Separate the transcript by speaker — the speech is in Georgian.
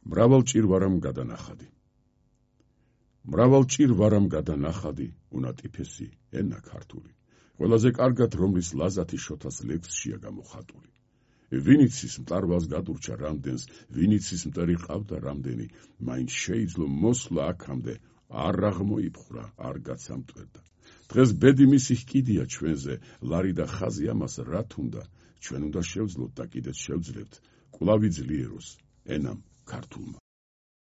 Speaker 1: მრავალჭირვარამ გადანახადი. მრავალჭირვარამ გადანახადი, უნატიფესი ენა ქართული. ყველაზე კარგად რომლის ლაზათი შოთას ლექსშია გამოხატული. ვინიცის მტარვალს გადურჩა რამდენს, ვინიცის მტერი ყავდა რამდენი, მაინც შეიძლო მოსვლა აქამდე, არ აღმოიფხრა, არ გაცამტვერდა. დღეს ბედი მისი ჰკიდია ჩვენზე, ლარი და ხაზი ამას რა თუნდა, ჩვენ უნდა შევძლოთ და კიდეც შევძლებთ, კვლავ იძლიეროს ენამ ქართულმა.